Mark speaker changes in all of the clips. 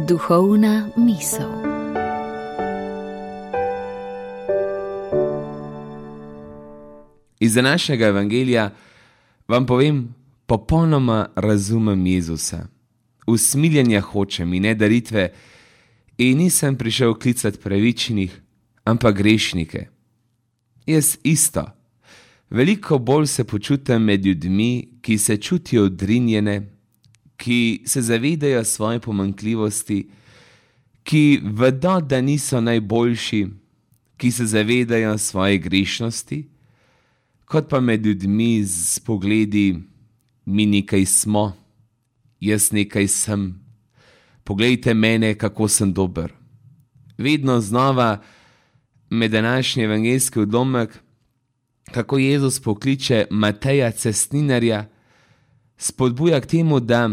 Speaker 1: Duhovna misel.
Speaker 2: Iz današnjega evangelija vam povem, popolnoma razumem Jezusa. Usmiljenja hočem in ne daritve, in nisem prišel klicati pravičnih, ampak grešnike. Jaz isto. Veliko bolj se počutim med ljudmi, ki se čutijo odrinjene, ki se zavedajo svoje pomanjkljivosti, ki vedo, da niso najboljši, ki se zavedajo svoje grešnosti, kot pa med ljudmi z pogledi: mi nekaj smo, jaz nekaj sem, poglejte mene, kako sem dober. Vedno znova med današnji evangeljski odlomek, kako Jezus pokliče Mateja cestninarja, spodbuja k temu, da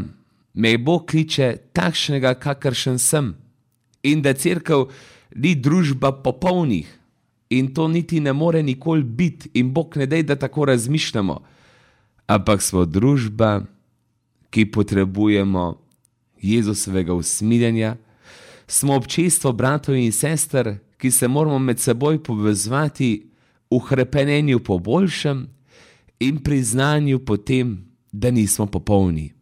Speaker 2: me Bog kliče takšnega, kakršen sem, in da cerkev ni družba popolnih, in to niti ne more nikoli biti, in Bog ne dej, da tako razmišljamo, ampak smo družba, ki potrebujemo Jezusovega usmiljenja, smo občestvo bratov in sester, ki se moramo med seboj povezovati v hrepenenju po boljšem in priznanju po tem, da nismo popolni.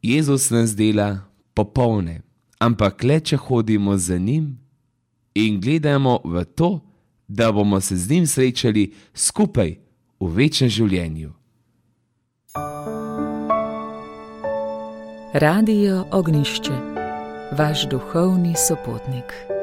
Speaker 2: Jezus nas dela popolne, ampak le če hodimo za njim in gledamo v to, da bomo se z njim srečali skupaj v večnem življenju.
Speaker 1: Radio Ognjišče, vaš duhovni sopotnik.